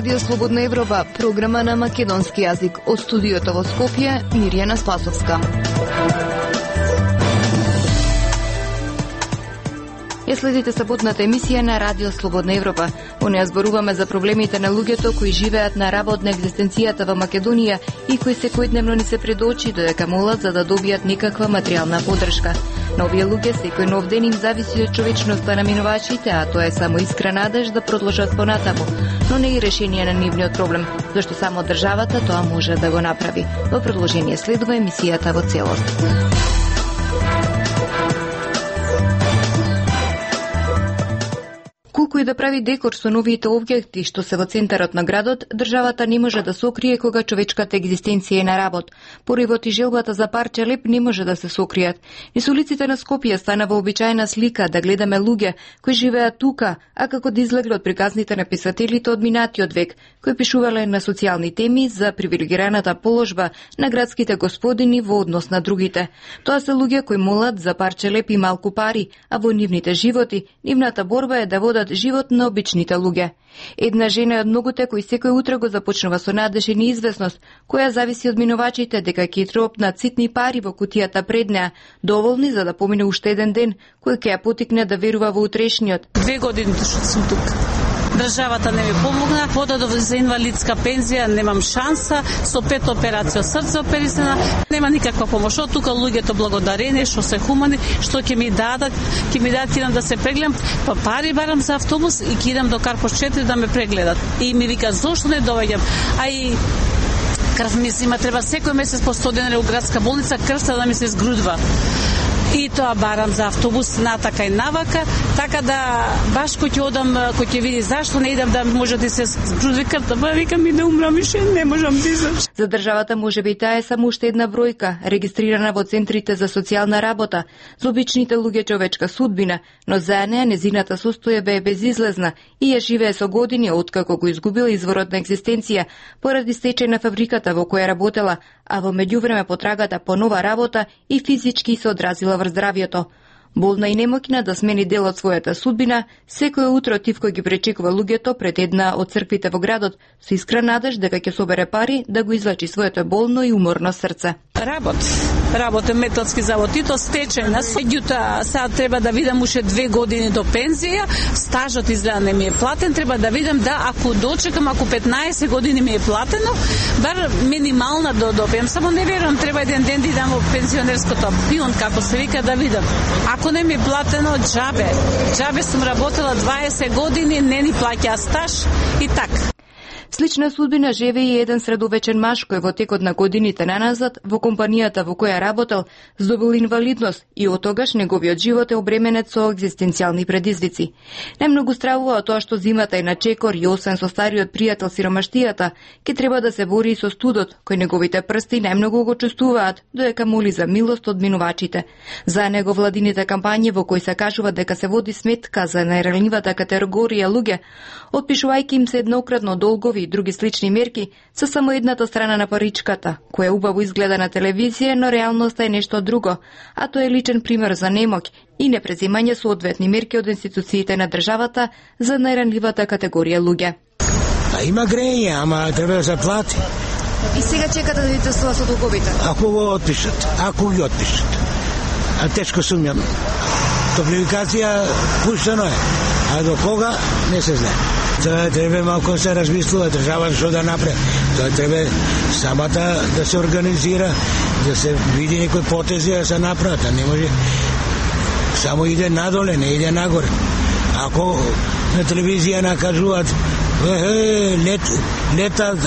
Радио Слободна Европа, програма на македонски јазик. Од студиото во Скопје, Мирјана Спасовска. Ја следите саботната емисија на Радио Слободна Европа. Во неја зборуваме за проблемите на луѓето кои живеат на работ на екзистенцијата во Македонија и кои секојдневно ни се пред очи додека молат за да добијат некаква материјална поддршка. На овие луѓе секој нов ден им зависи од човечноста на минувачите, а тоа е само искра надеж да продолжат понатаму, но не и решение на нивниот проблем, зашто само државата тоа може да го направи. Во продолжение следува емисијата во целост. Колку и да прави декор со новите објекти што се во центарот на градот, државата не може да сокрие кога човечката екзистенција е на работ. Поривот и желбата за парче леп не може да се сокријат. Низ улиците на Скопје стана вообичаена слика да гледаме луѓе кои живеат тука, а како да излегле од приказните на писателите од минатиот век, кои пишувале на социјални теми за привилегираната положба на градските господини во однос на другите. Тоа се луѓе кои молат за парче леп и малку пари, а во нивните животи, нивната борба е да водат живот на обичните луѓе. Една жена од многуте кои секој утро го започнува со надеж и неизвестност, која зависи од минувачите дека ќе тропнат ситни пари во кутијата пред неа, доволни за да помине уште еден ден, кој ќе ја потикне да верува во утрешниот. 2 години што сум тука. Државата не ми помогна, подадов за инвалидска пензија, немам шанса, со 5 операции срце оперисана, нема никаква помош. Од тука луѓето благодарени, што се хумани, што ќе ми дадат, идам да се прегледам, па пари барам за автобус и ќе идам до Карпош 4 да ме прегледат. И ми вика, зошто не доаѓам? А и крв ми се има, треба секој месец по 100 денари у градска болница, крвта да ми се изгрудва. И тоа барам за автобус натака и навака, така да баш кој ќе одам, кој ќе види зашто не идам да може да се згрудви крвта, па викам и да умрам више, не можам да излезам. За државата можеби таа е само уште една бројка, регистрирана во центрите за социјална работа, за обичните луѓе човечка судбина, но за неа незината состојба е безизлезна и ја живее со години откако го изгубила изворот на екзистенција поради стечај на фабриката во која работела, а во меѓувреме потрагата по нова работа и физички се одразила врз здравјето. Болна и немоќна да смени дел од својата судбина, секој утро Тивко ги пречекува луѓето пред една од црквите во градот со искра надеж дека ќе собере пари да го излечи своето болно и уморно срце. Работам металски завод и то стечајна. Меѓутоа, сега треба да видам уште 2 години до пензија, стажот изгледа не ми е платен, треба да видам да ако дочекам, ако 15 години ми е платено, бар минимална да добијам. Само не верувам, треба еден ден да идам во пензионерското пион, како се вика, да видам. Ако не ми е платено, џабе сум работела 20 години, не ни плаќа стаж и така. Слична судбина живее и еден средовечен маж кој во текот на годините наназад во компанијата во која работел здобил инвалидност и од тогаш неговиот живот е обременет со екзистенцијални предизвици. Немногу стравува од тоа што зимата е на чекор и освен со стариот пријател сиромаштијата, ќе треба да се бори и со студот, кој неговите прсти најмногу го чувствуваат, додека моли за милост од минувачите. За него владините кампањи во кои се кажува дека се води сметка за најранливата категорија луѓе, отпишувајќи им се еднократно долгови и други слични мерки, се само едната страна на паричката, која убаво изгледа на телевизија, но реалноста е нешто друго, а тоа е личен пример за немоќ и непрезимање соодветни мерки од институциите на државата за најранливата категорија луѓе. А има грење, ама треба да се плати. И сега чекате да видите со долговите? Ако го отпишат, ги отпишат. А тешко сумњам. Топлификација пуштено е, а до кога не се знае. Тоа треба малку се размислува држава што да направи. Тоа треба самата да се организира, да се види некои потези да се направат, а не може само иде надоле, не иде нагоре. Ако на телевизија накажуваат летат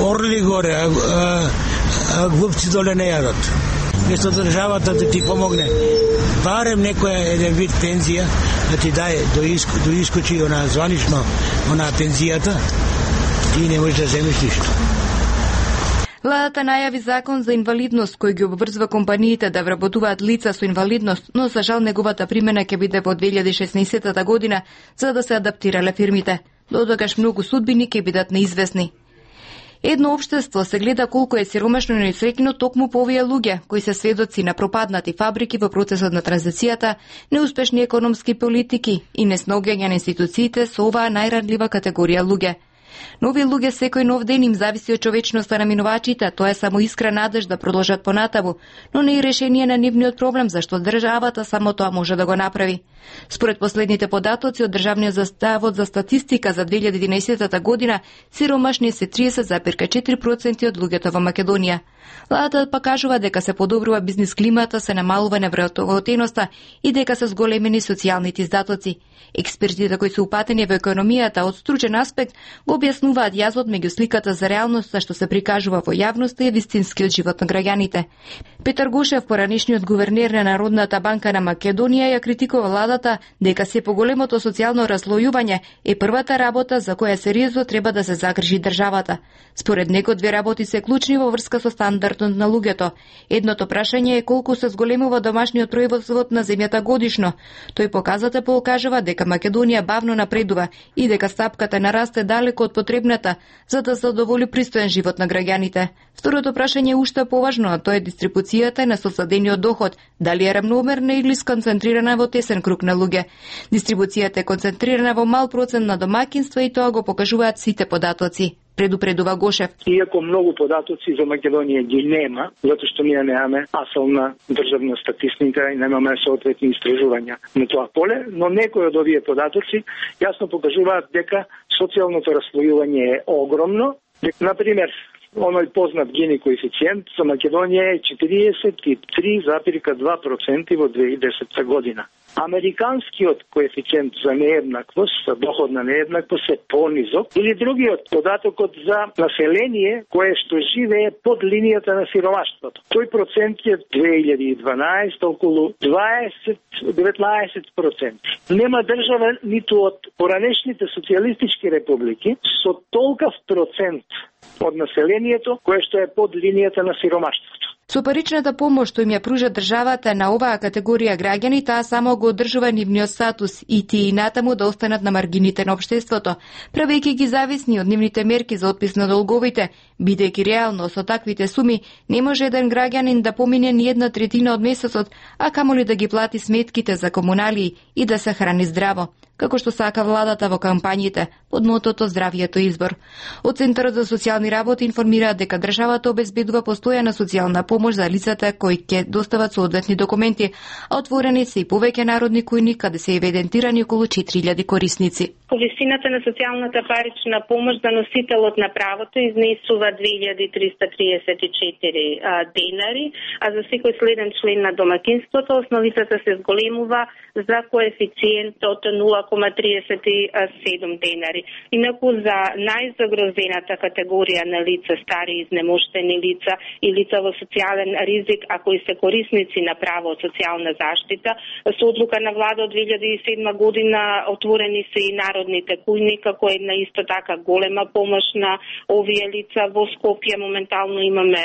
орли горе, а глупци доле не јадат. Место државата да ти помогне, барем некоја еден вид пензија, да ти даде до искочи она званично, она пензијата, ти не можеш да земеш ништо. Владата најави закон за инвалидност кој ги обврзва компаниите да вработуваат лица со инвалидност, но за жал неговата примена ќе биде во 2016 година за да се адаптирале фирмите. До тогаш многу судбини ќе бидат неизвестни. Едно општество се гледа колку е сиромашно и несреќно токму по овие луѓе, кои се сведоци на пропаднати фабрики во процесот на транзицијата, неуспешни економски политики и неснаоѓање на институциите со оваа најранлива категорија луѓе. Нови луѓе секој нов ден им зависи од човечноста на минувачите, тоа е само искра надеж да продолжат понатаму, но не и решение на нивниот проблем, зашто државата само тоа може да го направи. Според последните податоци од Државниот завод за статистика за 2011 година, сиромашни се 30,4% од луѓето во Македонија. Владата па кажува дека се подобрува бизнис климата, се намалува невработеноста и дека се зголемени социјалните издатоци. Експертите кои се упатени во економијата од стручен аспект го објаснуваат јазот меѓу сликата за реалноста што се прикажува во јавноста и вистинскиот живот на граѓаните. Петар Гошев, поранешниот гувернер на Народната банка на Македонија, ја критикува владата дека се поголемото социјално разлојување е првата работа за која сериозно треба да се загрижи државата. Според него две работи се клучни во врска со стандардот на луѓето. Едното прашање е колку се зголемува домашниот производ на земјата годишно. Тој показател кажува дека Македонија бавно напредува и дека стапката на раст е далеко од потребната за да задоволи пристоен живот на граѓаните. Второто прашање е уште поважно, а тоа е дистрибуцијата на сосадениот доход, дали е рамномерна или сконцентрирана во тесен круг на луѓе. Дистрибуцијата е концентрирана во мал процент на домаќинства и тоа го покажуваат сите податоци, предупредува Гошев. Иако многу податоци за Македонија ги нема, затоа што ние немаме асална државна статистика и немаме соодветни истражувања на тоа поле, но некои од овие податоци јасно покажуваат дека социјалното раслојување е огромно. Например, оној познат Гини коефициент за Македонија е 43,2% во 2010 година. Американскиот коефициент за нееднаквост, за доходна нееднаквост е понизок, или другиот податокот за население кое што живее под линијата на сиромаштвото. Тој процент е 2012 околу 19%. Нема држава ниту од поранешните социјалистички републики со толков процент од населението кое што е под линијата на сиромаштвото. Со паричната помош што им ја пружа државата на оваа категорија граѓани, таа само го одржува нивниот статус и тие натаму да останат на маргините на општеството, правејќи ги зависни од нивните мерки за отпис на долговите, бидејќи реално со таквите суми не може еден граѓанин да помине ни 1/3 од месецот, а камоли да ги плати сметките за комуналии и да се храни здраво, како што сака владата во кампањите под мотото здравието избор. Од Центарот за социјални работи информираат дека државата обезбедува постојана социјална помош за лицата кои ќе достават соодветни документи, а отворени се и повеќе народни кујни каде се евидентирани околу 4000 корисници. Висината на социјалната парична помош за носителот на правото изнесува 2334 денари, а за секој следен член на домаќинството основицата се зголемува за коефициент од 0,37 денари. Инаку за најзагрозената категорија на лица, стари изнемоштени лица и лица во социјален ризик, а кои се корисници на право од социјална заштита, со одлука на влада од 2007 година отворени се и народните кујни, како една исто така голема помош на овие лица. Во Скопје моментално имаме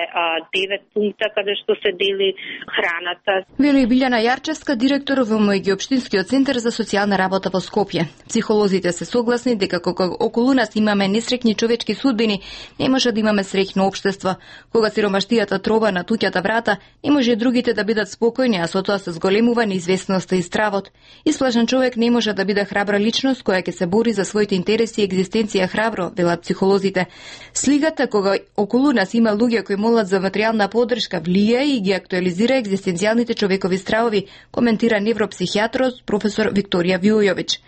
9 пункта каде што се дели храната. Вели Билјана Јарчевска, директор во Меѓуопштинскиот центар за социјална работа во Скопје. Психолозите се согласни дека кога околу нас имаме несреќни човечки судбини, не може да имаме среќно општество. Кога сиромаштијата троба на туѓата врата, не може и другите да бидат спокојни, а со тоа се зголемува неизвестноста и стравот. Исплашен човек не може да биде храбра личност која ќе се бори за своите интереси и екзистенција храбро, велат психолозите. Слигата кога околу нас има луѓе кои молат за материјална поддршка влијае и ги актуализира екзистенцијалните човекови стравови, коментира невропсихијатрот професор Викторија Виојовиќ.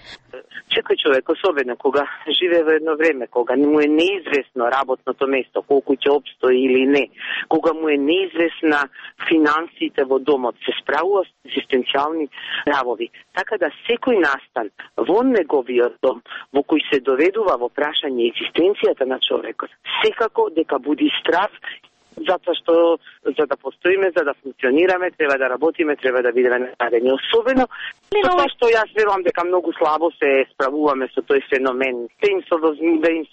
Секој човек, особено кога живее во едно време, кога му е неизвестно работното место, колку ќе опстои или не, кога му е неизвестна финансите во домот, се справува с екзистенцијални стравови. Така да секој настан во неговиот дом, во кој се доведува во прашање екзистенцијата на човекот, секако дека буди страв, затоа што за да постоиме, за да функционираме, треба да работиме, треба да бидеме наредени. Особено тоа што јас верувам дека многу слабо се справуваме со тој феномен. Да им се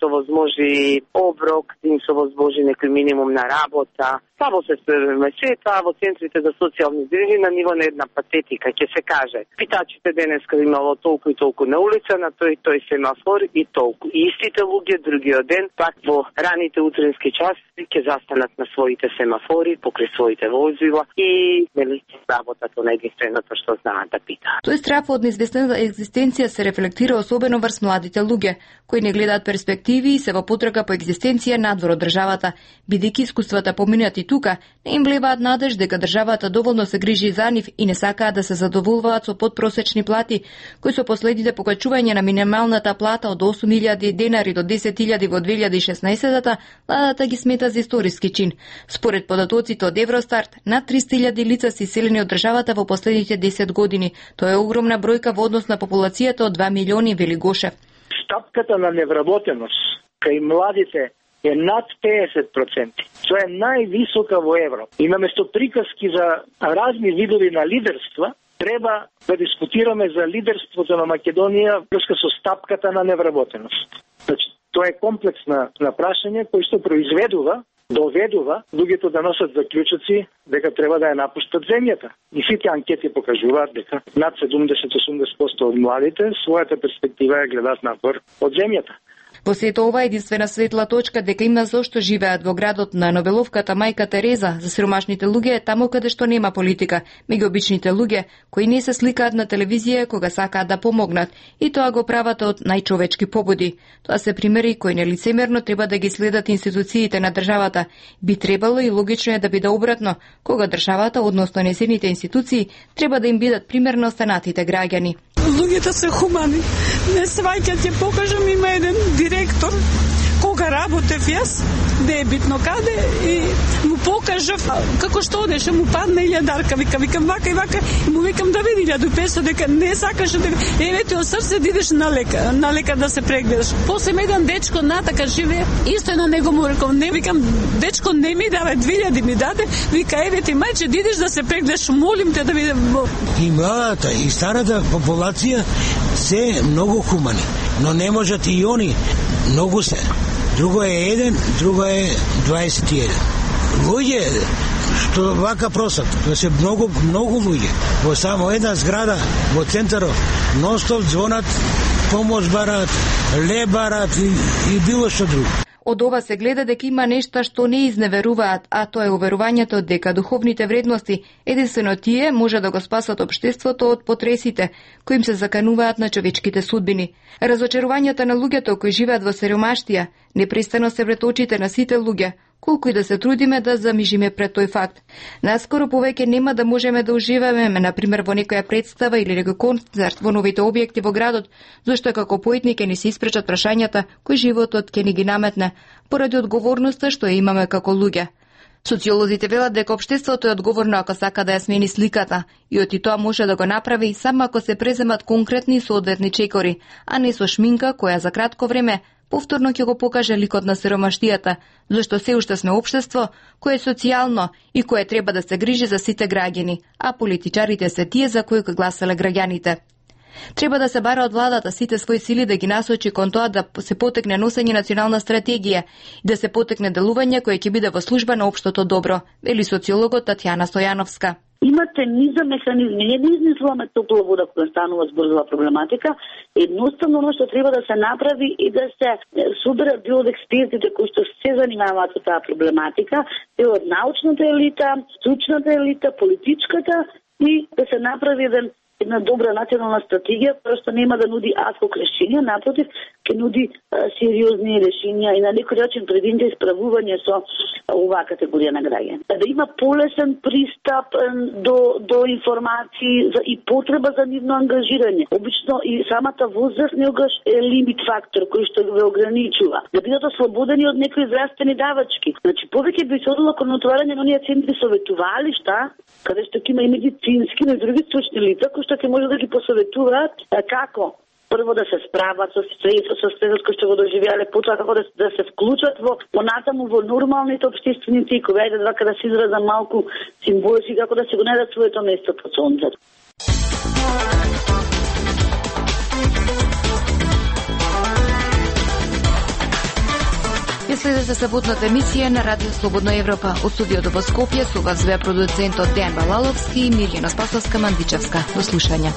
возможи оброк, да им се возможи некој минимум на работа, Само се СПМС, таа во центрите за социјални грижи на ниво на една патетика, ќе се каже. Питачите денеска имало толку и толку на улица, на тој семафор и толку. И истите луѓе другиот ден, пак во раните утрински часи, ќе застанат на своите семафори, покрај своите возила и нели работат на единственото што знаат да питаат. Тој страф од неизвестна екзистенција се рефлектира особено врз младите луѓе, кои не гледаат перспективи и се во потрага по екзистенција надвор од државата, бидејќи искуствата поминати тука не им влеваат надеж дека државата доволно се грижи за нив и не сакаат да се задоволуваат со подпросечни плати, кои со последните покачување на минималната плата од 8.000 денари до 10.000 во 2016-та, владата ги смета за историски чин. Според податоците од Евростарт, над 300.000 лица се иселени од државата во последните 10 години. Тоа е огромна бројка во однос на популацијата од 2 милиони, вели Гошев. Стапката на невработеност кај младите е над 50%. Тоа е највисока во Европа. И наместо приказки за разни видови на лидерства, треба да дискутираме за лидерството на Македонија врска со стапката на невработеност. Значи, тоа е комплексно прашање кој што доведува луѓето да носат заклучоци дека треба да ја напуштат земјата. И сите анкети покажуваат дека над 70-80% од младите својата перспектива ја гледаат надвор од земјата. Во сето ова единствена светла точка дека има зошто живеат во градот на Нобеловката мајка Тереза за сиромашните луѓе е таму каде што нема политика, меѓу обичните луѓе кои не се сликаат на телевизија кога сакаат да помогнат и тоа го прават од најчовечки побуди. Тоа се примери кои нелицемерно треба да ги следат институциите на државата. Би требало и логично е да биде обратно, кога државата, односно незините институции, треба да им бидат пример на останатите граѓани. Луѓето се хумани. Не сваќат, ќе покажам, има еден директор, кога работев јас, не е битно каде, и му покажав како што одеше, му падна 1000 викам вака и вака, и му викам да види 1500, дека не сакаше дека еве од срце да идеш на лекар да се прегледаш. После еден дечко натака живее, исто на него му рекам, не викам, дечко не ми давај 2000 ми даде, вика еве ти мајче да идеш да се прегледаш, молим те да видам. И младата и старата популација се многу хумани, но не можат и они, многу се. Друго е 1, друго е 21. Луѓе што вака просат, тоа се многу луѓе. Во само една зграда во центарот ностоп звонат, помош барат, леб барат и било што друго. Од ова се гледа дека има нешта што не изневеруваат, а тоа е уверувањето дека духовните вредности, единствено тие, може да го спасат општеството од потресите, кои им се закануваат на човечките судбини. Разочарувањата на луѓето кои живеат во сиромаштија непрестано се пред очите на сите луѓе, колку и да се трудиме да замижиме пред тој факт. Наскоро повеќе нема да можеме да уживаме, например, во некоја представа или некој концерт во новите објекти во градот, зашто како поетни ќе ни се испречат прашањата кои животот ќе ни ги наметне, поради одговорноста што ја имаме како луѓе. Социолозите велат дека општеството е одговорно ако сака да ја смени сликата, и оти тоа може да го направи само ако се преземат конкретни соодветни чекори, а не со шминка која за кратко време повторно ќе го покаже ликот на сиромаштијата, зашто се уште сме општество кое е социјално и кое треба да се грижи за сите граѓани, а политичарите се тие за кои гласале граѓаните. Треба да се бара од владата сите своји сили да ги насочи кон тоа да се потекне носење национална стратегија и да се потекне делување кое ќе биде во служба на општото добро, вели социологот Татјана Стојановска. Имате низа механизми, не измислуваме топла вода кога станува збор за проблематика, едноставно оно што треба да се направи и да се соберат дел од експертите кои што се занимаваат со таа проблематика, дел од научната елита, стручната елита, политичката, и да се направи една добра национална стратегија, која што нема да нуди адхок решенија, напротив, ќе нуди сериозни решенија и на некој начин предвидите исправување со оваа категорија на граѓани. Да има полесен пристап до информации и потреба за нивно ангажирање. Обично и самата возраст неогаш е лимит фактор кој што ве ограничува. Да бидат ослободени од некои здравствени давачки. Значи повеќе би се одило кон отварање на оние центри советувалишта, каде што ќе има и медицински, но и други стручни лица кои што ќе може да ги посоветуваат како прво да се справат со стресот кој што го доживеале, потоа како да се вклучат понатаму во нормалните општествени тикови, ајде да се изразам малку символски, како да се го најдат своето место под сонцето. Ја Следете саботната емисија на Радио Слободна Европа. Од студиото во Скопје со вас беа продуцентот Дејан Балаловски и Милјана Спасовска Мандичевска. До слушање.